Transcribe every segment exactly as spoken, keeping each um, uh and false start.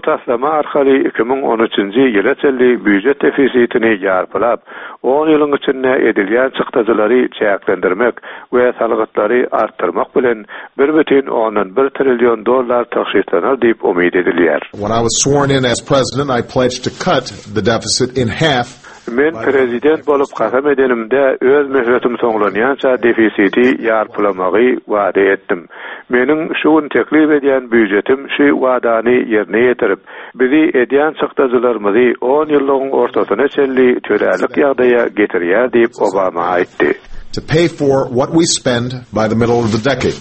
Taslama arkaly iki müň on üçünji ýyla çenli býujet defisitini ýarpylap, on ýylyň içinde edilýän çykdajylary çäklendirmek we salgytlary artdyrmak bilen bir bütin ondan bir trillion dollar tygşytlanar diýip umyt edilýär. When I was sworn in as president, I pledged to cut the deficit in half. Men prezident bolup kasam edenimde öz möhletim soňlanýança defisiti ýarpylamagy wada etdim. Meniň şu gün teklip edýän býujetim şu wadany ýerine ýetirip, bizi edýän çykdajylarymyzy on ýyllygyň ortasyna çenli tölälik ýagdaýa getirýär diýip Obama aýtdy. To pay for what we spend by the middle of the decade.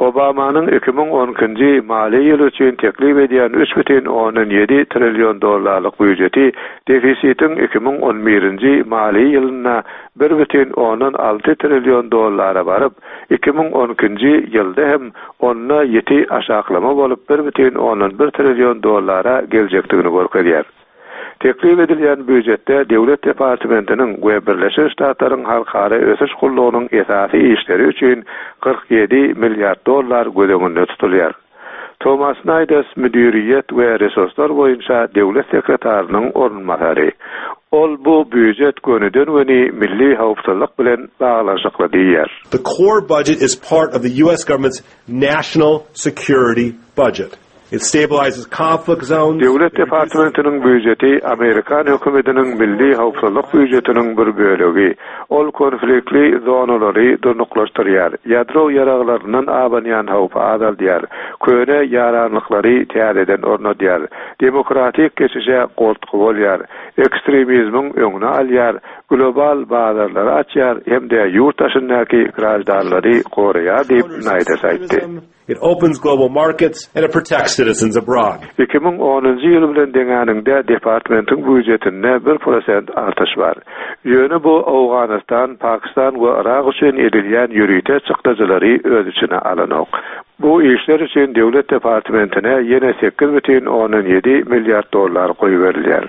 Obamanyň iki müň on ikinji maliýe ýyly üçin teklip edýän üç bütin ondan ýedi trillion dollarlyk býujeti defisitiň iki müň on birinji maliýe ýylynda bir bütin ondan alty trillion dollara baryp, iki müň on ikinji ýylda hem onda ýeti aşaklama bolup bir bütin ondan bir trillion dollara geljekdigini görkezýär. Teklip edilýän býujetde Döwlet departamentiniň we Birleşen Ştatlaryň Halkara Ösüş Gullugynyň esasy işleri üçin kyrk ýedi milliard dollar göz öňünde tutulýar. Thomas Nides müdiriýet we resurslar boýunça döwlet sekretarynyň orunbasary. Ol bu býujet gönüden-göni milli howpsuzlyk bilen baglanyşykly diýýär. The core budget is part of the U S government's national security budget. It stabilizes conflict zones. Döwlet departamentiniň býujeti Amerikan hökümetiniň milli howpsuzlyk býujetiniň bir bölegi. Ol konfliktli zonalary durnuklaşdyrýar. Ýadro ýaraglaryndan abanýan howpy azaldýar. Köne ýaranlyklary täzeden ornadýar. Demokratik geçişe goltgy bolýar. Ekstremizmiň öňüni alýar. Global bazarlary açýar hem-de ýurt daşyndaky grajdanlary goraýar diýip Nides aýtdy. It opens global markets and it protects citizens abroad. Iki müň onunjy ýyl bilen deňäninde departamentyň býujetinde bir prosent artış bar. Ýöne bu Owganystan, Pakistan we Irak üçin edilýän ýörite çykdajylary öz içine alanok. Bu işler üçin döwlet departamentine ýene sekiz bütin ondan ýedi milliard dollar goýberilýär.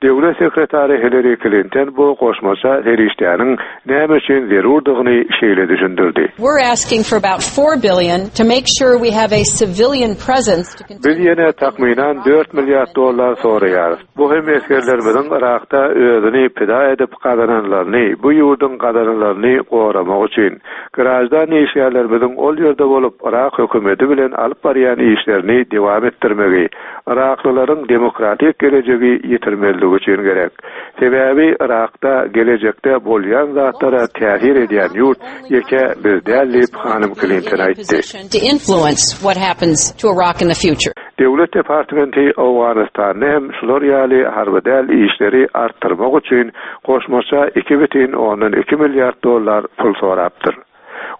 Döwlet sekretary Hillary Clinton bu goşmaça serişdäniň näme üçin zerurdygyny şeýle düşündirdi. We're asking for about four billion to make sure we have a civilian presence to continue. Biz ýene takmynan dört milliard dollar soraýarys. Bu hem esgerlerimiziň Irakda özüni pida edip gazananlaryny, bu ýurduň gazananlaryny goramak üçin grajdan işgärlerimiziň ol ýerde bolup Irak hökümeti bilen alyp barýan işlerini dowam etdirmegi, Iraklylaryň demokratik gelejegi ýetirmeligi üçin gerek. Sebäbi Irakda gelejekde bolýan zatlara täsir edýän ýurt ýeke biz däl diýip hanym Clinton aýtdy. To influence what happens to Iraq in the future. Döwlet departamenti Owganystanda hem şular ýaly harby däl işleri artdyrmak üçin goşmaça iki bütin ondan iki milliard dollar pul sorapdyr.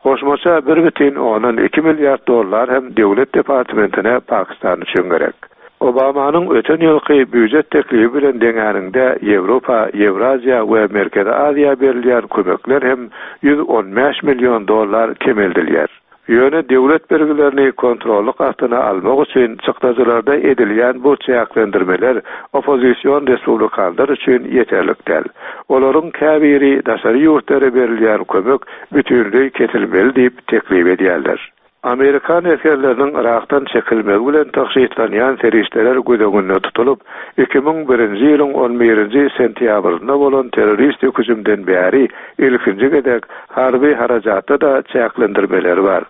Goşmaça bir bütin ondan iki milliard dollar hem döwlet departamentine Pakistan üçin gerek. Obamanyň öten ýylky býujet teklibi bilen deňäninde Ýewropa, Ýewraziýa we Merkezi Aziýa berilýän kömekler hem ýüz on bäş million dollar kemeldilýär. Ýöne döwlet bergilerini kontrollyk astyna almak üçin çykdajylarda edilýän bu çäklendirmeler oppozision respublikanlar üçin ýeterlik däl. Olaryň käbiri daşary ýurtlara berilýän kömek bütünleý kesilmeli diýip teklip edýärler. Amerikan esgerleriniň Irakdan çekilmegi bilen tygşytlanýan serişdeler göz öňünde tutulyp, iki müň birinji ýylyň on birinji sentýabrynda bolan terrorist hüjümden bäri ilkinji gezek harby harajatda da çäklendirmeler bar.